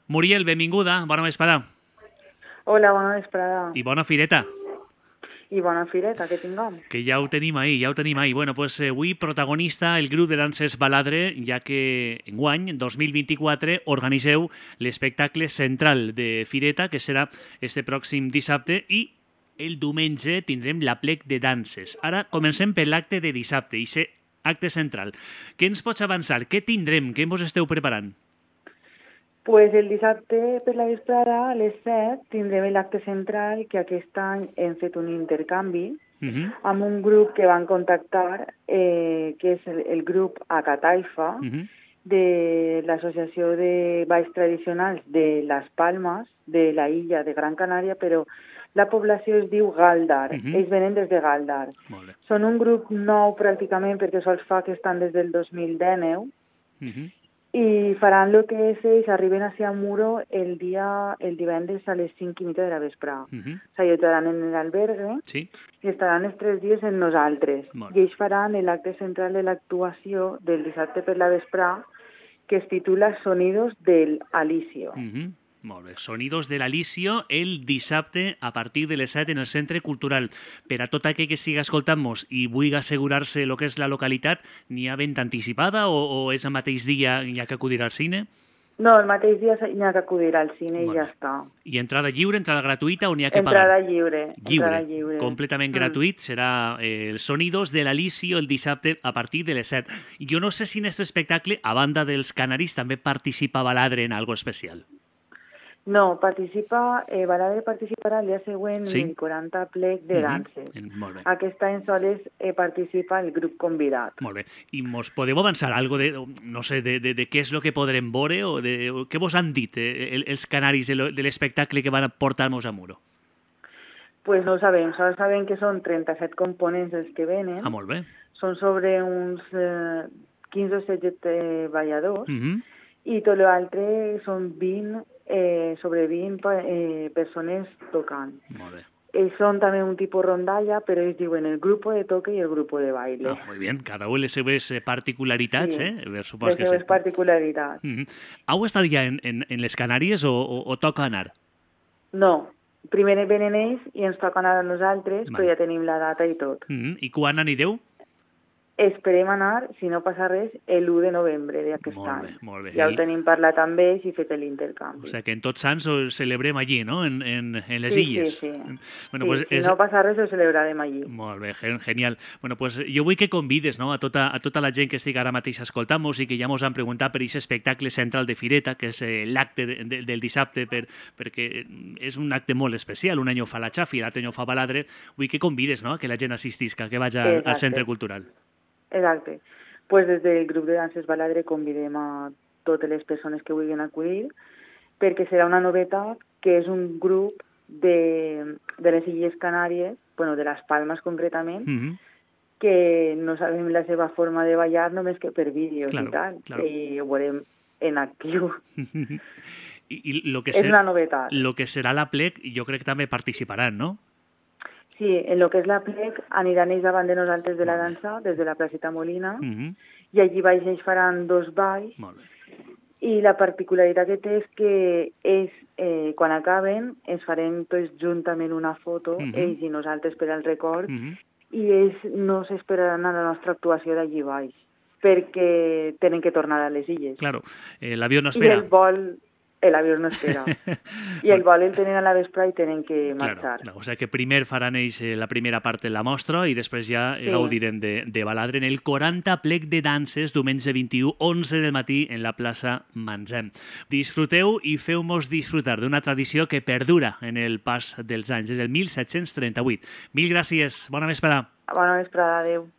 Muriel, benvinguda, bona vesprada. Hola, bona vesprada. I bona fireta. I bona fireta que tinguem. Que ja ho tenim ahir. Bueno, pues avui protagonista el grup de danses Baladre, ja que enguany, 2024, organitzeu l'espectacle central de fireta, que serà este pròxim dissabte, i el diumenge tindrem l'aplec de danses. Ara comencem per l'acte de dissabte, i ser acte central. Què ens pots avançar? Què tindrem? Què vos esteu preparant? Pues el dissabte per la vesprada, a les 7, tindrem l'acte central, que aquest any hem fet un intercanvi amb un grup que van contactar, que és el grup Acataifa, de l'Associació de Balls Tradicionals de Las Palmas, de la illa de Gran Canària, però la població es diu Galdar. Ells venen des de Galdar. Són un grup nou pràcticament perquè sols fa que estan des del 2019 i faran el que és ells, arriben a Muro el divendres a les 5:30 de la vesprada. S'allotjaran en l'albergue i estaran els 3 dies amb nosaltres. I ells faran l'acte central de l'actuació del dissabte per la vesprada, que es titula Sonidos del Alicio. Molt bé. Sonidos del Alicio el dissabte a partir de les 7 en el Centre Cultural. Per a tot aquell que estigui escoltant-nos i vulgui assegurar-se el que és la localitat, n'hi ha venda anticipada o és el mateix dia i ha que acudir al cine? No, el mateix dia n'hi ha que acudir al cine i ja està. I entrada lliure, entrada gratuïta o n'hi ha que pagar? Entrada lliure. Completament gratuït. Serà el Sonidos del Alicio el dissabte a partir de les 7. Jo no sé si en aquest espectacle, a banda dels canaris, també participa Baladre en algo especial. No, Baladre participarà el dia següent en el 40 plec de danses. Aquest any sols participa el grup convidat. Molt bé. I mos podeu avançar algo de, no sé, de què és el que podrem veure o què vos han dit els canaris de l'espectacle que van portar-nos a Muro? Pues no ho sabem. Sols sabem que són 37 components els que venen. Ah, molt bé. Són sobre uns 15 o 16 balladors i tot l'altre són 20 persones tocant. Molt bé. Ells són també un tipus rondalla, però ells diuen el grup de toque i el grup de baile. Ah, molt bé. Cada un les seves particularitats, les seves particularitats. Heu estat ja en les Canàries o toca anar? No. Primer venen ells i ens toca anar a nosaltres, però ja tenim la data i tot. I quan anireu? Esperem anar, si no passa res, l'1 de novembre d'aquest any. Molt bé. Ja ho tenim parlat amb ells i fet l'intercanvi. O sigui que en Tots Sants ho celebrem allí, no? En les illes. Sí. Bueno, pues si no passa res, ho celebrarem allí. Molt bé, genial. Bueno, pues jo vull que convides, no, a tota la gent que estigui ara mateix escoltant-nos i que ja ens han preguntat per aquest espectacle central de Fireta, que és l'acte del dissabte, perquè és un acte molt especial. Un any ho fa la Xafi, l'altre any ho fa Baladre. Vull que convides, no?, que la gent assistisca, que vagi al Centre Cultural. Exacte. Pues des del grup de danses Baladre convidem a totes les persones que vulguin acudir, perquè serà una novetat que és un grup de les Illes Canàries, bueno, de les Palmes concretament, que no sabem la seva forma de ballar només que per vídeos i tal, i ho veurem en actiu. És una novetat. El que serà l'aplec, jo crec que també participaran, no? Sí, en el que és l'aplec aniran ells davant de nosaltres de la dansa, des de la placeta Molina, i allí baix ells faran 2 balls, i la particularitat que té és que ells, quan acaben, ens farem tots juntament una foto, ells i nosaltres per al record, i ells no s'esperaran a la nostra actuació d'allí baix, perquè tenen que tornar a les illes. Claro, l'avió no espera. I l'avió no espera. I el vol el tenen a la vespre i tenen que marxar. O sigui que primer faran ells la primera part de la mostra i després ja gaudirem de Baladre en el 40 plec de danses, diumenge 21, 11 del matí, en la plaça Manzem. Disfruteu i feu-nos disfrutar d'una tradició que perdura en el pas dels anys, des del 1738. Mil gràcies. Bona vesprada. Bona vesprada, adeu.